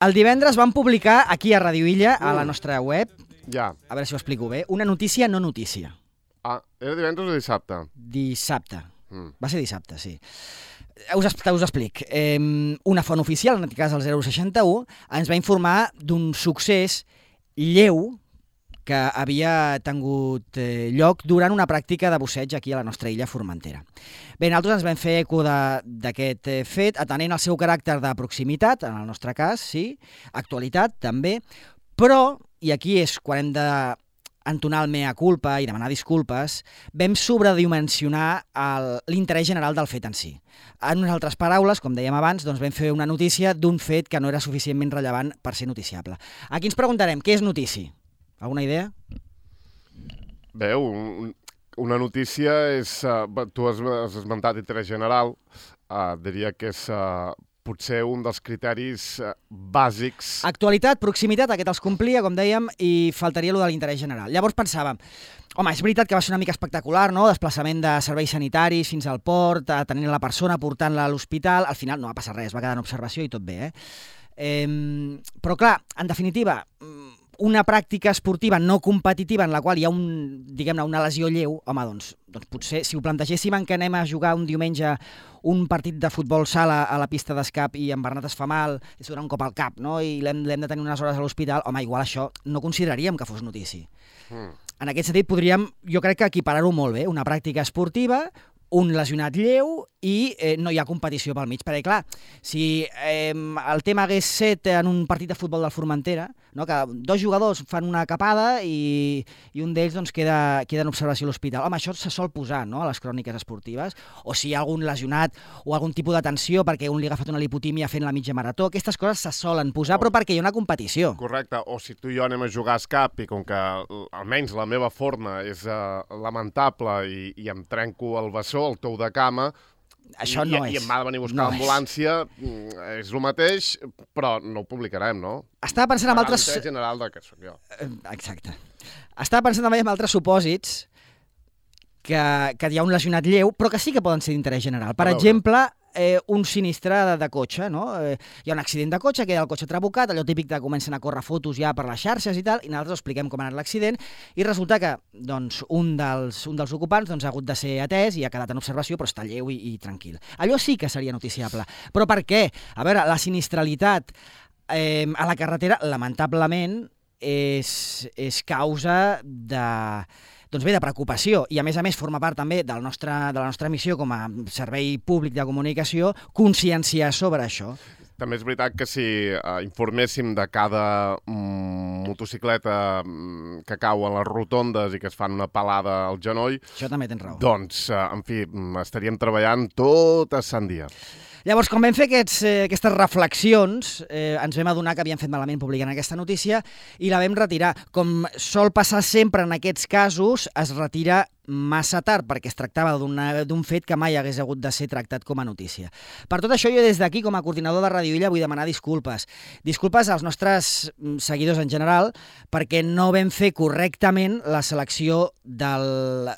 El divendres vam publicar aquí a Radio Illa, a la nostra web, Ja. a veure si ho explico bé, una notícia no notícia. Ah, era divendres o dissabte? Dissabte. Va ser dissabte, sí. Us explic. Una font oficial, en aquest cas el 061, ens va informar d'un succés lleu que havia tingut lloc durant una pràctica de busseig aquí a la nostra illa Formentera. Bé, nosaltres ens vam fer eco d'aquest fet, atenent el seu caràcter de proximitat, en el nostre cas, sí, actualitat també, però, i aquí és quan hem d'entonar el mea culpa i demanar disculpes, vam sobredimensionar l'interès general del fet en si. En unes altres paraules, com dèiem abans, doncs vam fer una notícia d'un fet que no era suficientment rellevant per ser noticiable. Aquí ens preguntarem, què és notícia? Alguna idea? Bé, una notícia és... tu has esmentat interès general, diria que és potser un dels criteris bàsics... Actualitat, proximitat, aquest els complia, com dèiem, i faltaria allò de l'interès general. Llavors pensàvem, home, és veritat que va ser una mica espectacular, no?, desplaçament de serveis sanitaris fins al port, atenent la persona, portant-la a l'hospital, al final no va passar res, va quedar en observació i tot bé, però clar, en definitiva, una pràctica esportiva no competitiva en la qual hi ha diguem-ne, una lesió lleu, home, doncs potser si ho plantegéssim en què anem a jugar un diumenge un partit de futbol sala a la pista d'escap i en Bernat es fa mal, és donar un cop al cap, no?, i l'hem de tenir unes hores a l'hospital, home, igual això no consideraríem que fos notícia. En aquest sentit podríem, jo crec que equiparar-ho molt bé, una pràctica esportiva, un lesionat lleu i no hi ha competició pel mig. Perquè, clar, si el tema hagués set en un partit de futbol del Formentera, no, que dos jugadors fan una capada i un d'ells doncs, queda en observació a l'hospital. Home, això se sol posar, no?, a les cròniques esportives, o si hi ha algun lesionat o algun tipus de tensió perquè un li ha agafat una lipotímia fent la mitja marató, aquestes coses se solen posar, però perquè hi ha una competició. Correcte, o si tu i jo anem a jugar a escap i com que almenys la meva forma és lamentable i em trenco el bessó, el tou de cama, això no és. I em va de venir a buscar l'ambulància, és el mateix, però no ho publicarem, no? Estava pensant en altres... L'interès general que soc jo. Exacte. Estava pensant també en altres supòsits que hi ha un lesionat lleu, però que sí que poden ser d'interès general. Per exemple, un sinistre de cotxe, no? Hi ha un accident de cotxe, queda el cotxe trabucat, allò típic que comencen a córrer fotos ja per les xarxes i tal, i nosaltres expliquem com ha anat l'accident, i resulta que doncs, un dels ocupants doncs, ha hagut de ser atès i ha quedat en observació, però està lleu i tranquil. Allò sí que seria noticiable. Però per què? A veure, la sinistralitat a la carretera, lamentablement, és causa de preocupació, i a més forma part també de la nostra missió com a servei públic de comunicació conscienciar sobre això. També és veritat que si informéssim de cada motocicleta que cau a les rotondes i que es fan una pelada al genoll... Això també tens raó. Doncs, en fi, estaríem treballant tot a sant dia. Llavors, quan vam fer aquestes reflexions, ens vam adonar que havíem fet malament publicant aquesta notícia i la vam retirar. Com sol passar sempre en aquests casos, es retira massa tard, perquè es tractava d'un fet que mai hagués hagut de ser tractat com a notícia. Per tot això, jo des d'aquí, com a coordinador de Radio Illa, vull demanar disculpes. Disculpes als nostres seguidors en general, perquè no vam fer correctament la selecció del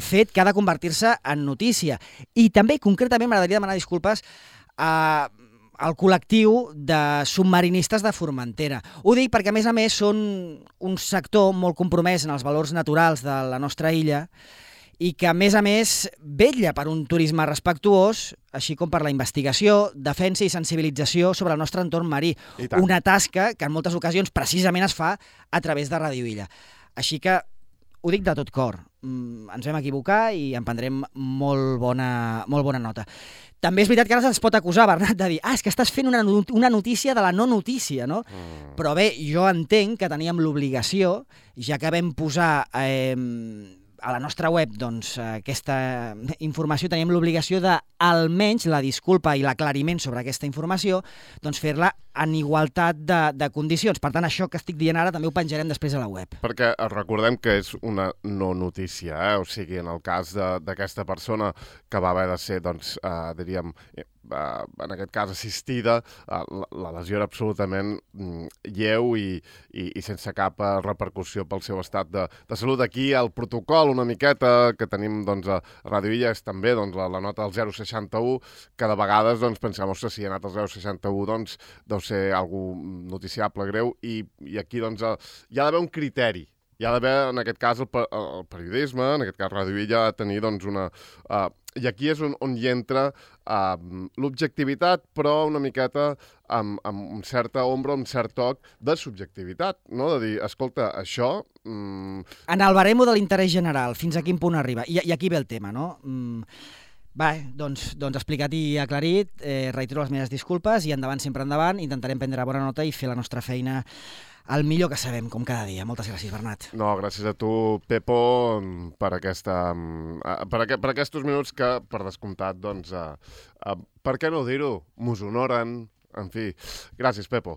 fet que ha de convertir-se en notícia. I també, concretament, m'agradaria demanar disculpes al col·lectiu de submarinistes de Formentera. Ho dic perquè, a més, són un sector molt compromès en els valors naturals de la nostra illa i que, a més, vetlla per un turisme respectuós, així com per la investigació, defensa i sensibilització sobre el nostre entorn marí. Una tasca que en moltes ocasions precisament es fa a través de Radio Illa. Així que ho dic de tot cor. Ens vam equivocar i en prendrem molt bona nota. També és veritat que ara se'ns pot acusar, Bernat, de dir és que estàs fent una notícia de la no notícia, no? Però bé, jo entenc que teníem l'obligació, ja que vam posar a la nostra web doncs, aquesta informació, teníem l'obligació de, almenys, la disculpa i l'aclariment sobre aquesta informació, doncs fer-la en igualtat de condicions. Per tant, això que estic dient ara també ho penjarem després a la web. Perquè recordem que és una no notícia, o sigui, en el cas d'aquesta persona que va haver de ser, doncs, diríem, en aquest cas assistida, la lesió era absolutament lleu i sense cap repercussió pel seu estat de salut. Aquí el protocol una miqueta que tenim doncs, a Ràdio Illa és també doncs, la nota del 061, que de vegades doncs, pensem, ostres, si ha anat al 061 doncs deu ser algú noticiable greu i aquí doncs, hi ha d'haver un criteri. Hi ha d'haver, en aquest cas, el periodisme, en aquest cas Ràdio Illa, ha de tenir doncs, una... I aquí és on hi entra l'objectivitat, però una miqueta amb certa ombra, amb cert toc de subjectivitat, no? De dir, escolta, això... En el baremo de l'interès general, fins a quin punt arriba? I aquí ve el tema, no? Doncs explicat i aclarit, reitero les meves disculpes i endavant, sempre endavant, intentarem prendre bona nota i fer la nostra feina el millor que sabem, com cada dia. Moltes gràcies, Bernat. No, gràcies a tu, Pepo, per aquests minuts que, per descomptat, doncs, per què no dir-ho? Mos honoren, en fi. Gràcies, Pepo.